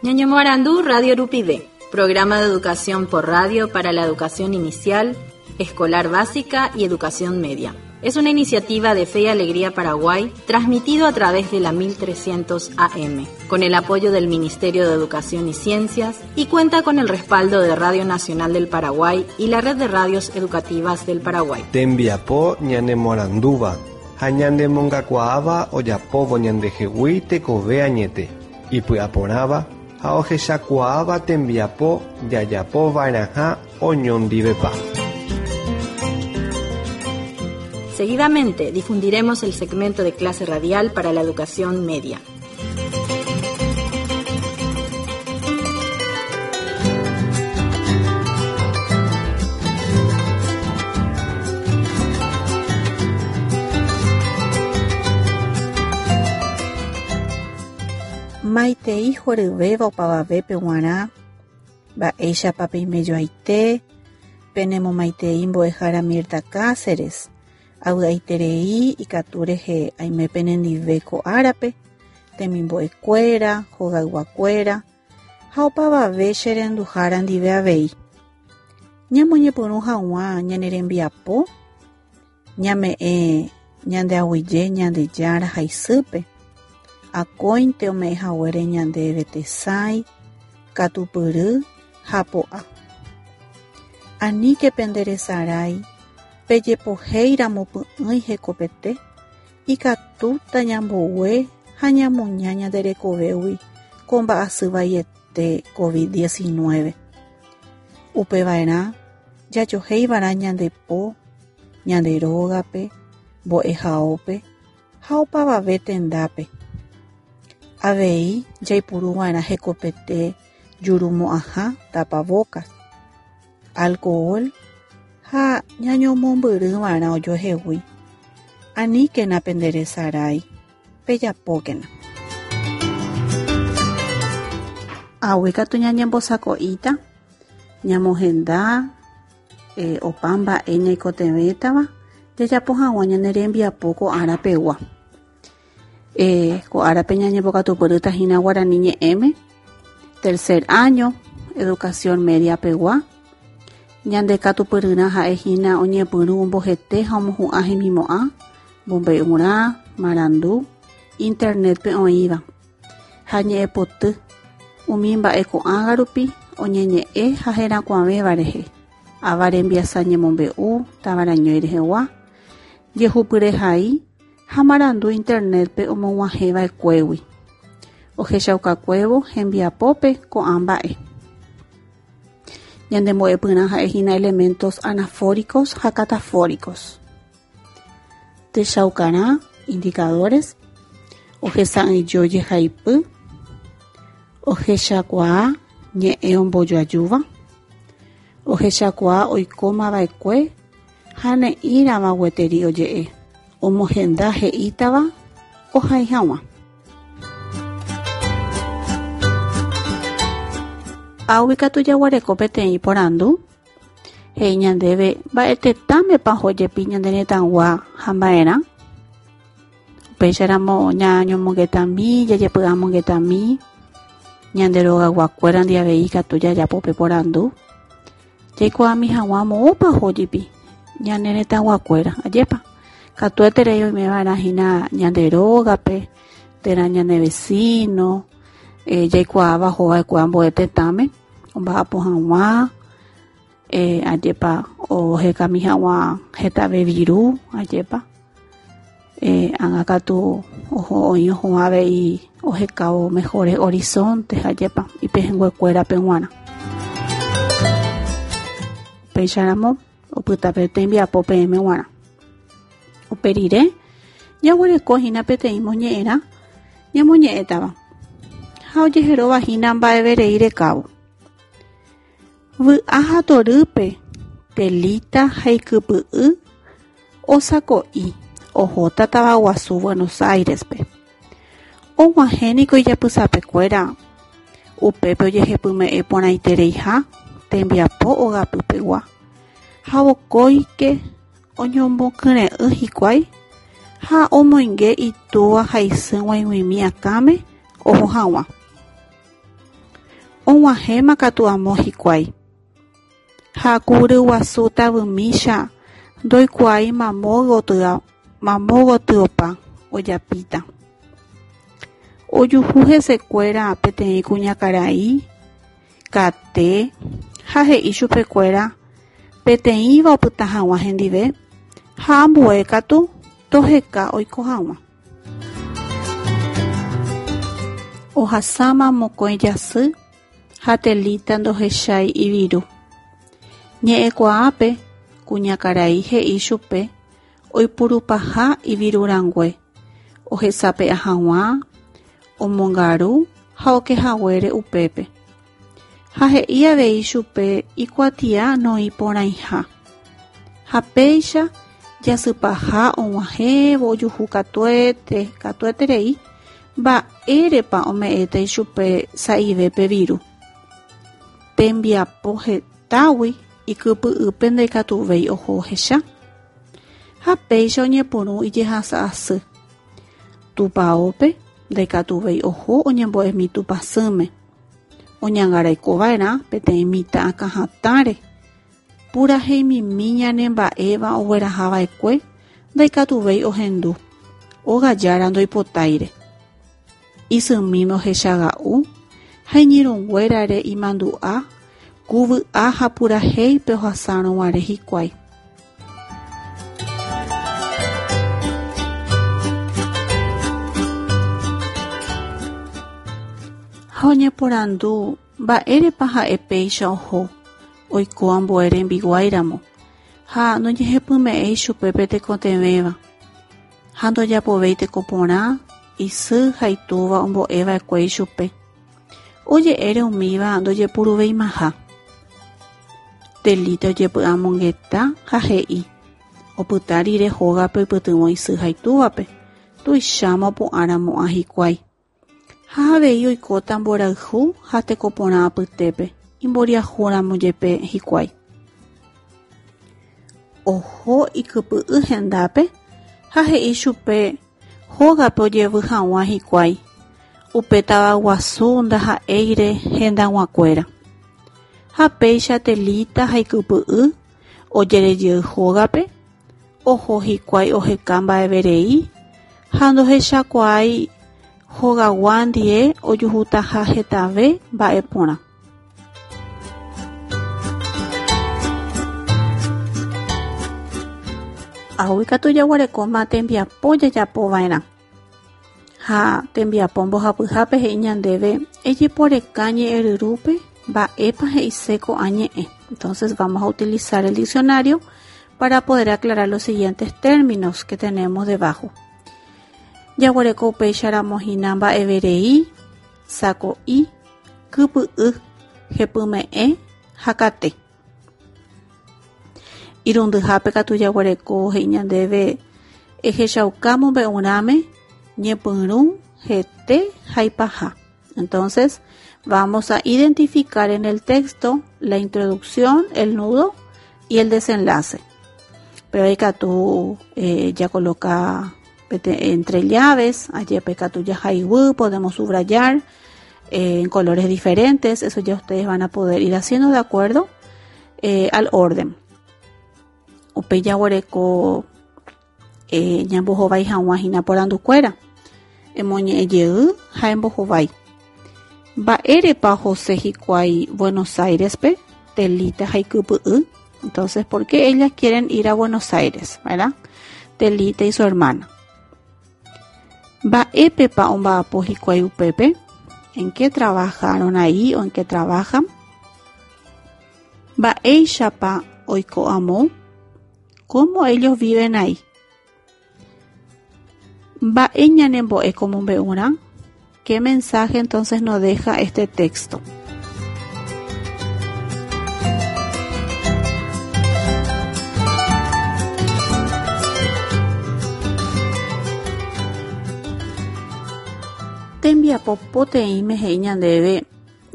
Ñañomoarandu Radio Rupive, programa de educación por radio para la educación inicial, escolar básica y educación media. Es una iniciativa de Fe y Alegría Paraguay, transmitido a través de la 1300 AM, con el apoyo del Ministerio de Educación y Ciencias y cuenta con el respaldo de Radio Nacional del Paraguay y la Red de Radios Educativas del Paraguay. Tembiapo ñanemoarandúva ha ñanemongakuaáva ojapóvo ñandehegui tekove añete, ipy'aporãva ha ohechakuaáva tembiapo jajapova'erãha oñondivepa. Seguidamente difundiremos el segmento de clase radial para la educación media. Maitei horyvéva opavavépe g̃uarã, mba'éichapa peimejoaite, penemomaitei mbo'ehára Mirta Cáceres, avy'aiterei ikatu rehe aime penendive ko árape, temimbo'ekuéra, hogayguakuéra ha opavave che renduhára ndive avei. Ñamoñepyrũ hag̃ua ñane rembiapo, Ñame'ẽ ñande aguyje Ñandejára ha isýpe, akóinte ome'ẽ haguére ñandéve tesãi, katupyry ha po'a. Aníke pende resarái pejepohéi ramo py'ỹi hekopete, ikatúta ñambogue ha ñamuña ñande rekovégui ko mba'asy vaiete COVID-19. Upeva'erã jajohéiva'erã ñande po, ñande rógape, mbo'ehaópe ha opavave tendápe. Avei jaipuruva'erã hekopete jurumo'ãha tapabocas, alcohol ha ñañomombyryva'erã ojoehegui. Aníkena penderesarái, pejapókena. Águi katu ñañembosako'íta, ñamohenda opa mba'e ñaikotevẽtava jajapo hag̃ua ñane rembiapo ko ára pegua. Ko árape ñañembokatupyrýta hína guarani ñe'ẽme, tercer año, educación media pegua. Ñande katupyryrã ha'e hína oñepyrũ ombohete ha omohu'ã hemimo'ã, mombe'urã, marandu, internet-pe oĩva. Ha ñe'ẽpoty, umi mba'e ko'ágã rupi oñeñe'ẽ ha herakuãvéva rehe, ava rembiasa ñemombe'u, tavarañói rehegua, jehupyrehai ha marandu internet-pe omog̃uahẽva'ekuégui, ohechaukakuévo hembiapópe ko'ã mba'e. Ñande mbo'epyrã ha'e hína elementos anafóricos ha catafóricos. Techaukarã, indicadores, ohesa'ỹijo jehaipy, ohechakuaa ñe'ẽ ombojoajúva, ohechakuaa oikómava'ekue ha ne'ĩrava gueteri oje'e, omohenda he'ítava ohai hag̃ua. Águi katu jaguereko peteĩ porandu. He'i ñandéve mba'e tetãmepa oho jepi ñane retãgua ha mba'erã. Upéicharamo ñañomongetami, jajepy'amongetami, ñande rogayguakuéra ndi avei ikatu jajapo pe porandu. Jaikuaami hag̃ua moõpa oho jepi ñane retãguakuéra, ajépa? Katueterei oimeva'erã hína ñande rógape térã ñane vecino jaikuaáva ohova'ekue ambue tetãme. Omba'apo hag̃ua, ajépa ohekami hag̃ua hetave viru, ajépa ág̃a katu oho oĩ oho avei ohekávo mejores horizontes, ajépa ipehẽnguekuérape g̃uarã. Upéicharamo opyta pe tembiapo peẽme g̃uarã. Upe rire jaguereko hína peteĩ moñe'ẽrã ñamoñe'ẽtava ha ojeheróva hína mba'everei rekávo. Vy'a ha torýpe Telita ha ikypy'y osako'i ohóta tavaguasu Buenos Aires-pe. Og̃uahẽ niko ijapysapekuéra upépe ojehepyme'ẽ porãitereiha tembiapo ogapypegua ha vokóike Oñomokyre'ỹ hikuái ha omoinge itúva ha isy g̃uaig̃uimi akãme oho hag̃ua. Og̃uahẽma katu amo hikuái. Ha ku ryguasu tavymícha ndoikuaái mamo gotyopa ojapíta. Ojuhu hesekuéra peteĩ kuñakarai kate ha he'i chupekuéra peteĩva opyta hag̃ua hendive ha ambue katu toheka oiko hag̃ua. Ohasáma mokõi jasy ha Telíta ndohechái iviru. Ñe'ẽkuaápe kuñakarai he'i chupe oipurupaha ivirurãngue ohesape'a hag̃ua, omongaru ha okehaguére upépe. Ha he'i avei chupe ikuatia noĩporãiha. Ha péicha jasypaha og̃uahẽvo ojuhu katuete, katueterei mba'érepa ome'ẽta ichupe sa'ive pe viru. Tembiapo hetágui ikypy'ýpe ndaikatuvéi oho ohecha. Ha péicha oñepyrũ ijehasa asy. Tupãópe ndaikatuvéi oho oñembo'emi Tupãsýme. Oñangarekova'erã peteĩ mitã akãhatãre. Puraheimimi ñanemba'éva oguerahava'ekue ndaikatuvéi ohendu, óga jára ndoipotáire. Isymíme ohechaga'u ha iñirũnguérare imandu'a ku vy'a ha purahéipe ohasárõ guare hikuái. Ha oñeporandu mba'érepa ha'e péicha oho oiko ambue rembiguáiramo ha noñehepyme'ẽi chupe pe tekotevẽva ha ndojapovéi teko porã isy ha itúva ombo'eva'ekue ichupe. Oje'ére umíva ndojepuruveimaha. Telíta ojepy'amongeta ha he'i, opyta rire hógape oipytyvõ isy ha itúvape, tuicháma opu'ãramo'ã hikuái. Ha avei oikóta mborayhu ha teko porã apytépe, imboriahúramo jepe hikuái. Oho ikypy'y hendápe ha he'i chupe hógape ojevy hag̃ua hikuái, upe tavaguasu ndaha'éire hendag̃uakuéra. Ha péicha Telíta ha ikypy'y ojerejey hógape, oho hikuái oheka mba'everei ha ndohechakuaái hogagua ndie ojuhutaha hetave mba'e porã. Águi katu jaguerekóma tembiapo jajapova'erã. Ha tembiapo mbohapyhápe he'i ñandéve ejeporeka ñe'ẽryrúpe mba'épa he'ise ko'ã ñe'ẽ. Entonces vamos a utilizar el diccionario para poder aclarar los siguientes términos que tenemos debajo. Jaguereko upéicharamo hína mba'everei, sako'i, kypy'y, hepyme'ẽ ha kate. Irundyhápe katu jaguereko he'i ñandéve ehechauka mombe'urãme ñepyrũ, hete ha ipaha. Entonces, vamos a identificar en el texto la introducción, el nudo y el desenlace. Pero ikatu eh, ya coloca entre llaves, allí katu jahaiguy, podemos subrayar eh, en colores diferentes, eso ya ustedes van a poder ir haciendo de acuerdo eh, al orden. Upéi jaguereko eh, ñambohovái hag̃ua hína porandukuéra. Emoñe'ẽ jey ha embohovái. Mba'érepa ohose hikuái Buenos Aires-pe, Telíta ha ikypy'y? Entonces, ¿por qué ellas quieren ir a Buenos Aires, verdad? Telita y su hermana. Mba'épepa omba'apo hikuái upépe? ¿En qué trabajaron ahí o en qué trabajan? Mba'éichapa oiko amo? ¿Cómo ellos viven ahí? Mba'e ñanembo'e ko mombe'urã? ¿Qué mensaje entonces nos deja este texto? Tembiapo poteĩme he'i ñandéve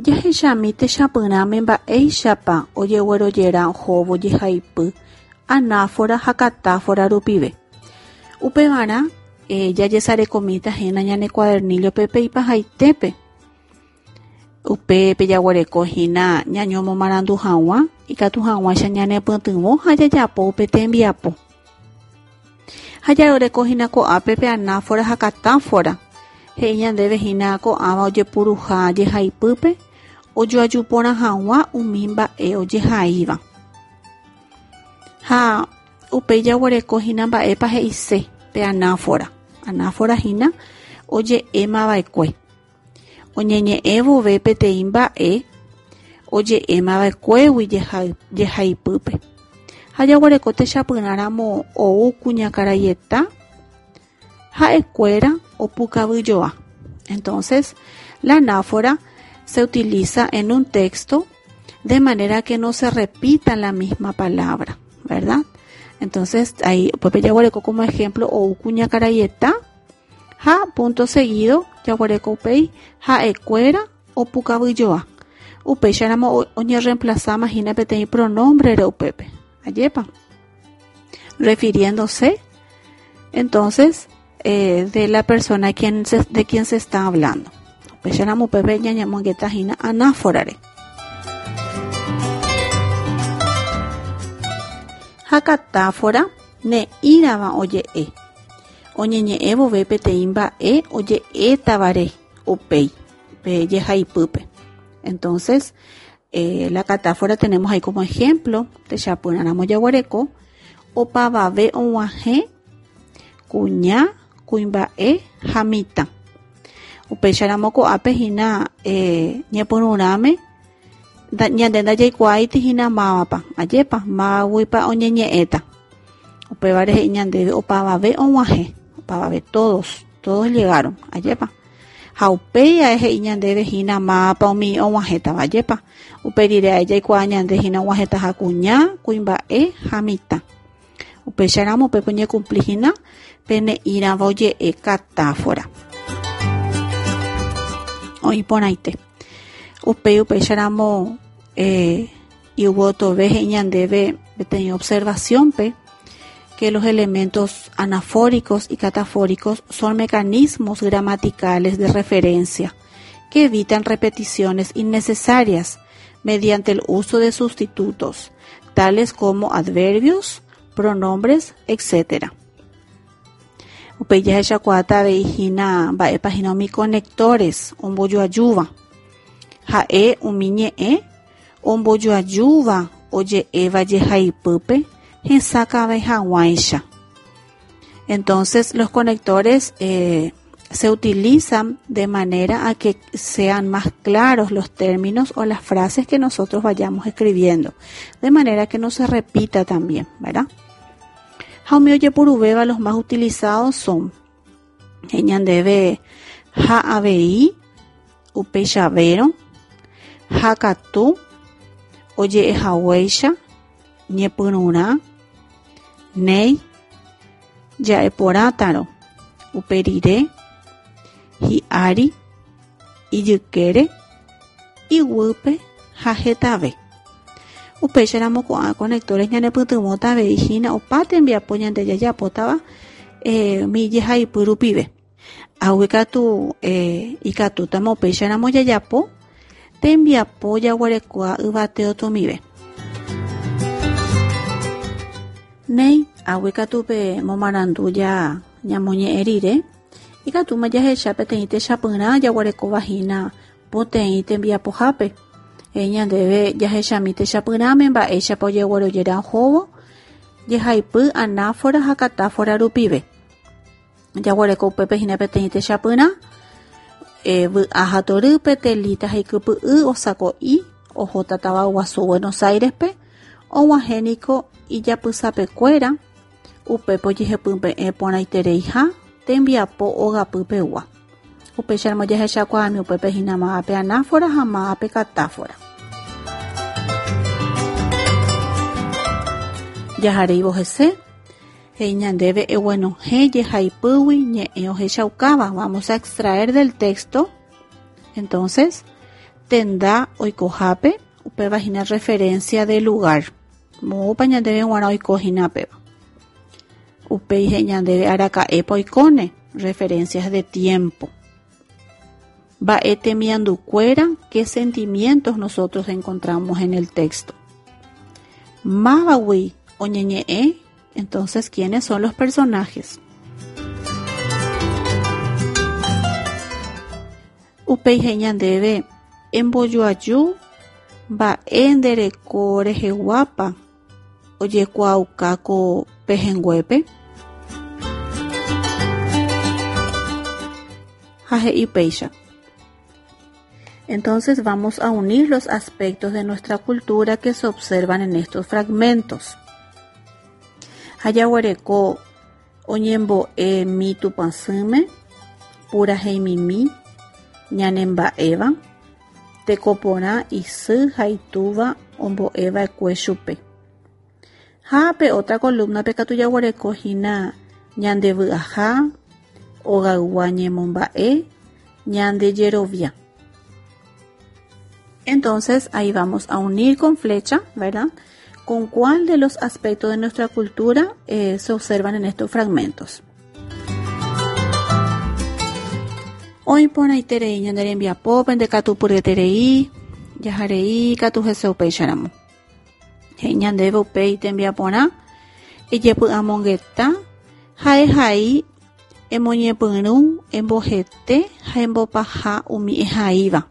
jahechami techapyrãme mba'éichapa ojeguerojera ohóvo jehaipy anáfora ha katáfora rupive. Upevarã eh, jajesarekomíta hína ñane cuadernillo-pe pe ipahaitépe. Upépe jaguereko hína ñañomomarandu hag̃ua ikatu hag̃uáicha ñanepytyvõ ha jajapo upe tembiapo. Ha jaroreko hína ko'ápe pe anáfora ha katáfora, he'i ñandéve hína ko'ãva ojepuruha jehaipýpe ojoaju porã hag̃ua umi mba'e ojehaíva. Ha upéi jaguereko hína mba'épa he'ise pe anáfora. Anáfora hína oje'émava'ekue. Oñeñe'ẽ vove peteĩ mba'e oje'émava'ekuégui jehaipýpe. Ha jaguereko techapyrãramo ou kuñakaraieta ha'ekuéra opukavyjoa. Entonces, la anáfora se utiliza en un texto de manera que no se repita la misma palabra, ¿verdad? Entonces, ahí upépe jaguereko como ejemplo ou kuñakaraieta Ha punto seguido jaguereko upéi ha'ekuéra opukavyjoa. Upéicharamo oñerreemplazáma hína peteĩ pronombre-re upépe. Ajépa? Refiriéndose entonces eh, de la persona quien se, de quien se está hablando. Upéicharamo upépe ñañemongeta hína anáforare. Ha katáfora ne'ĩrava oje'e. Oñeñe'ẽ vove peteĩ mba'e oje'étavare upéi pe jehaipýpe. Entonces, eh, la catáfora tenemos ahí como ejemplo, techapyrãramo jaguereko, opavave og̃uahẽ kuña, kuimba'e ha mitã. Upéicharamo ko'ápe hína eh, ñepyrũrãme ñande ndajaikuaáiti hína mávapa, ajépa, mávaguipa oñeñe'ẽta. Upévare he'i ñandéve opavave og̃uahẽ, opavave todos, todos llegaron, ajépa. Ha upéi ae he'i ñandéve hína mávapa umi og̃uahẽtava, ajépa. Upe rire ae jaikuaa ñande hína og̃uahẽtaha kuña, kuimba'e ha mitã. Upéicharamo upépe oñekumpli hína pe ne'ĩrava oje'e katáfora. Oĩ porãite. Upéi upéicharamo eh, yvotove he'i ñandéve peteĩ observación-pe que los elementos anafóricos y catafóricos son mecanismos gramaticales de referencia que evitan repeticiones innecesarias mediante el uso de sustitutos, tales como adverbios, pronombres, etc. Upéi jahechakuaáta avei hína mba'épa hína umi conectores ombojoajúva. Ha'e umi ñe'ẽ ombojoajúva oje'éva jehaipýpe hesakãve hag̃uáicha. Entonces, los conectores eh, se utilizan de manera a que sean más claros los términos o las frases que nosotros vayamos escribiendo, de manera que no se repita también, ¿verdad? Ha umi ojepuruvéva los más utilizados son he'i ñandéve ha avei upeichavérõ, ha katu oje'ehaguéicha ñepyrũrã, néi, ja'eporãtarõ, upe rire, hi'ári, ijykére, iguýpe ha hetave. Upéicharamo ko'ã conectores ñanepytyvõta avei hína opa tembiapo ñande jajapótava eh, umi jehaipy rupive. Águi katu eh, ikatútama upéicharamo jajapo tembiapo jaguerekóva yvate otomive. Néi, águi katu pe momarandu ja ñamoñe'ẽ rire, ikatúma jahecha peteĩ techapyrã jaguerekóva hína Poteĩ tembiapohápe, he'i ñandéve jahechami techapyrãme mba'éichapa ojeguerojera ohóvo jehaipy anáfora ha katáfora rupive. Jaguereko upépe hína peteĩ techapyrã, e, vy'a ha torýpe, Telita ha ikypy'y osako'i ohóta tavaguasu Buenos Aires-pe, og̃uahẽ niko ijapysapekuéra, upépe ojehepyme'ẽ porãitereiha tembiapo ogapypegua. Upéicharamo jahechakuaami upépe hína mávape anáfora ha mávape katáfora. Jaharéivo hese, he'i ñandéve eguenohẽ jehaipýgui ñe'ẽ ohechaukáva. Vamos a extraer del texto, entonces, tenda oikohápe, upéva hína referencia de lugar. Moõpa ñandéve g̃uarã oiko hína péva. Upéi he'i ñandéve araka'épa oikóne, referencias de tiempo. Mba'e temiandukuéra, qué sentimientos nosotros encontramos en el texto. Mávagui oñeñe'ẽ, entonces, ¿quiénes son los personajes? Upéi he'i ñandéve, Embojoaju mba'e nde reko reheguápa ojekuaauka ko pehẽnguépe? Ha he'i upéicha. Entonces vamos a unir los aspectos de nuestra cultura que se observan en estos fragmentos. Ha jaguereko oñembo'e mi Tupãsýme, puraheimimi, ñanemba'éva, teko porã isy ha itúva ombo'eva'ekue chupe. Ha pe otra columna-pe katu jaguereko hína ñande vy'aha, ogaygua ñemomba'e, ñande jerovia. Entonces ahí vamos a unir con flecha, ¿verdad? Con cuál de los aspectos de nuestra cultura se observan en estos fragmentos. Oĩ porãiterei ñane rembiapo pende katupyryeterei, jaharei katu hese upéicharamo. He'i ñandéve upéi tembiaporã, ejepy'amongeta, ha'ehai, emoñepyrũ, embohete ha embopaha umi ehaíva.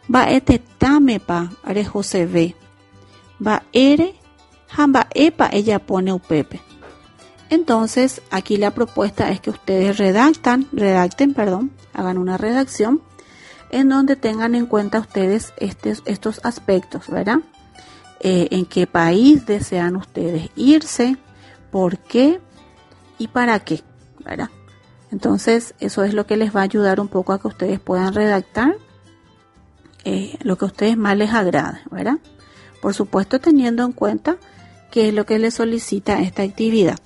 Mba'e tetãmepa rehoseve, mba'ére ha mba'épa ejapóne upépe. Entonces, aquí la propuesta es que ustedes redactan, redacten, perdón, hagan una redacción en donde tengan en cuenta ustedes estos aspectos, ¿verdad? En qué país desean ustedes irse, por qué y para qué, ¿verdad? Entonces, eso es lo que les va a ayudar un poco a que ustedes puedan redactar lo que a ustedes más les agrade, ¿verdad? Por supuesto, teniendo en cuenta qué es lo que les solicita esta actividad.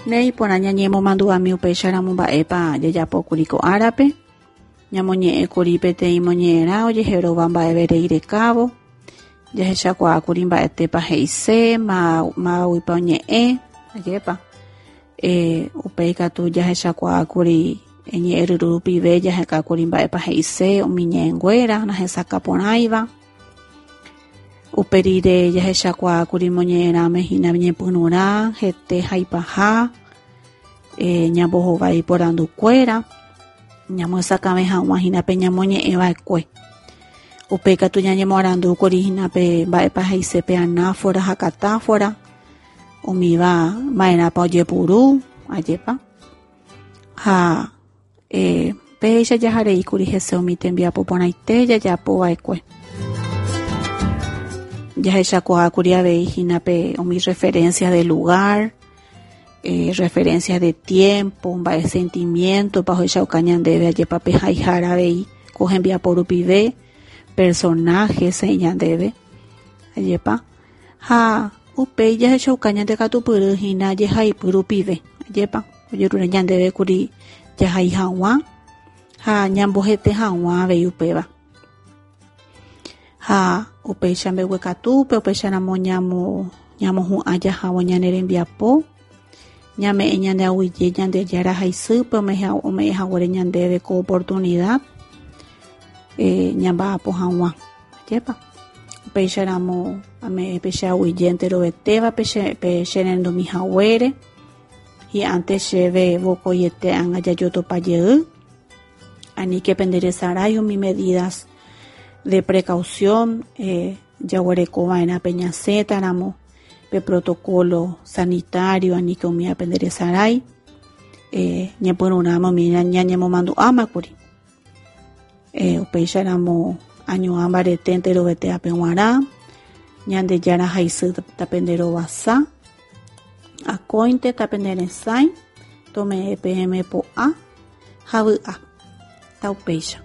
Néi porã ñañemomandu'ami upéicharamo mba'épa jajapókuri ko árape, ñamoñe'ẽkuri peteĩ moñe'ẽrã ojeheróva mba'everei rekávo, jahechakuaákuri mba'etépa he'ise, mávaguipa oñe'ẽ, ajépa. Upéi katu jahechakuaákuri ñe'ẽryru rupive jahekákuri mba'épa he'ise umi ñe'ẽnguéra nahesakã porãiva. Upe rire jahechakuaákuri moñe'ẽrãme hína ñepyrũrã, hete ha ipaha, ñambohovái porandukuéra, ñamyesakãve hag̃ua hína pe ñamoñe'ẽva'ekue. Upéi katu ñañemoarandúkuri hína pe mba'épa he'ise pe anáfora ha katáfora, umíva ma'erãpa ojepuru, ajépa. Ha péicha jahareíkuri hese umi tembiapo porãite jajapova'ekue. Jahechakuaákuri avei hína pe umi referencia de lugar, referencia de tiempo, mba'e sentimiento-pa ohechauka ñandéve ajépa pe haihára avei ko hembiapo rupive, personajes he'i ñandéve, ajépa. Ha upéi jahechauka ñande katupyry hína jehaipy rupive, ajépa, ojerure ñandéve kuri jahai hag̃ua ha ñambohete hag̃ua avei upéva. Ha upéicha mbeguekatúpe, upéicharamo ñamohu'ã jahávo ñane rembiapo, ñame'ẽ ñande aguyje Ñandejára haisýpe ome'ẽ haguére ñandéve ko oportunidad ñamba'apo hag̃ua, ajépa. Upéicharamo ame'ẽ pe che aguyje enterovetéva pe che rendumi haguére, hi'ãnte chéve vokoiete ág̃a jajotopa jey, aníke penderesarái umi medidas de precaución jaguerekova'erã pe ñasẽtaramo, pe protocolo sanitario aníke umíva penderesarái, ñepyrũrãme umi ñañemomandu'ámakuri. Upéicharamo añoã mbarete enterovetévape g̃uarã, Ñandejára haisy tapenderovasa, akóinte tapenderesãi, tome'ẽ peẽme po'a ha vy'a. Taupéicha.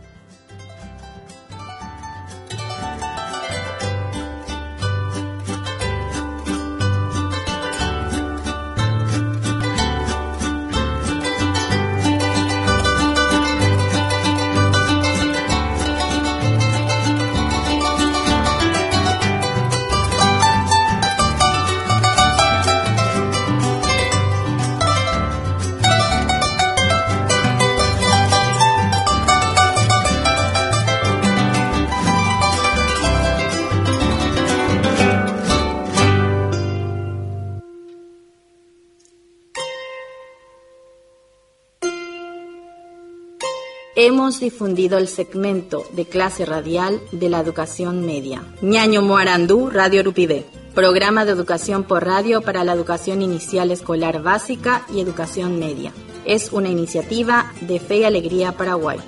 Hemos difundido el segmento de clase radial de la educación media. Ñaño Moarandú, Radio Rupivé. Programa de educación por radio para la educación inicial escolar básica y educación media. Es una iniciativa de Fe y Alegría Paraguay.